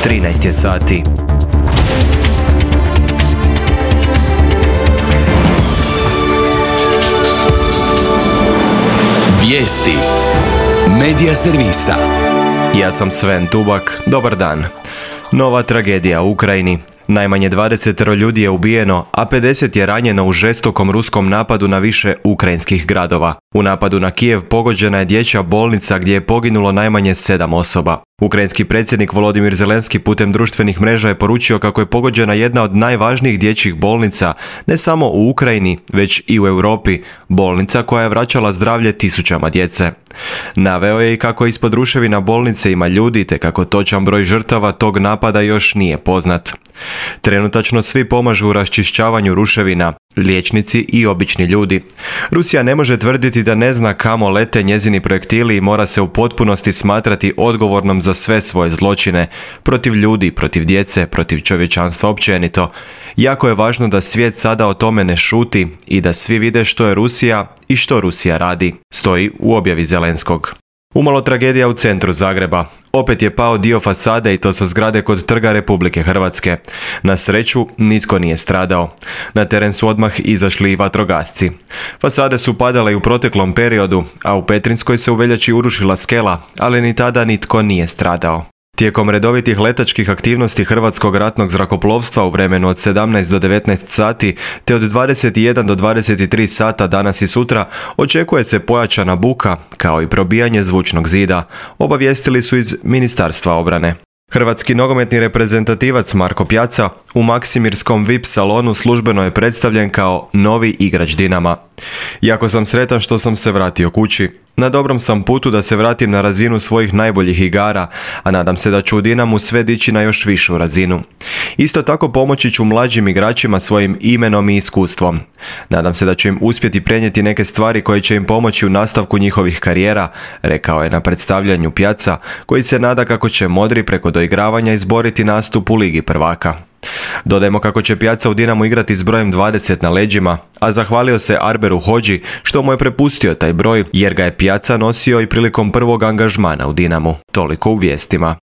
13 je sati. Vijesti Medija servisa. Ja sam Sven Tubak, dobar dan. Nova tragedija u Ukrajini. Najmanje 20 ljudi je ubijeno, a 50 je ranjeno u žestokom ruskom napadu na više ukrajinskih gradova. U napadu na Kijev pogođena je dječja bolnica gdje je poginulo najmanje 7 osoba. Ukrajinski predsjednik Volodimir Zelenski putem društvenih mreža je poručio kako je pogođena jedna od najvažnijih dječjih bolnica, ne samo u Ukrajini, već i u Europi, bolnica koja je vraćala zdravlje tisućama djece. Naveo je i kako ispod ruševina bolnice ima ljudi, te kako točan broj žrtava tog napada još nije poznat. Trenutačno svi pomažu u raščišćavanju ruševina, liječnici i obični ljudi. Rusija ne može tvrditi da ne zna kamo lete njezini projektili i mora se u potpunosti smatrati odgovornom za sve svoje zločine, protiv ljudi, protiv djece, protiv čovječanstva općenito. Jako je važno da svijet sada o tome ne šuti i da svi vide što je Rusija i što Rusija radi, stoji u objavi Zelenskog. Umalo tragedija u centru Zagreba. Opet je pao dio fasade i to sa zgrade kod Trga Republike Hrvatske. Na sreću, nitko nije stradao. Na teren su odmah izašli i vatrogasci. Fasade su padale i u proteklom periodu, a u Petrinskoj se u veljači urušila skela, ali ni tada nitko nije stradao. Tijekom redovitih letačkih aktivnosti Hrvatskog ratnog zrakoplovstva u vremenu od 17 do 19 sati te od 21 do 23 sata danas i sutra očekuje se pojačana buka kao i probijanje zvučnog zida, obavijestili su iz Ministarstva obrane. Hrvatski nogometni reprezentativac Marko Pjaca u Maksimirskom VIP salonu službeno je predstavljen kao novi igrač Dinama. Jako sam sretan što sam se vratio kući. Na dobrom sam putu da se vratim na razinu svojih najboljih igara, a nadam se da ću u Dinamu sve dići na još višu razinu. Isto tako pomoći ću mlađim igračima svojim imenom i iskustvom. Nadam se da ću im uspjeti prenijeti neke stvari koje će im pomoći u nastavku njihovih karijera, rekao je na predstavljanju Pjaca, koji se nada kako će modri preko doigravanja izboriti nastup u Ligi prvaka. Dodajmo kako će Pjaca u Dinamu igrati s brojem 20 na leđima, a zahvalio se Arberu Hodži što mu je prepustio taj broj jer ga je Pjaca nosio i prilikom prvog angažmana u Dinamu. Toliko u vijestima.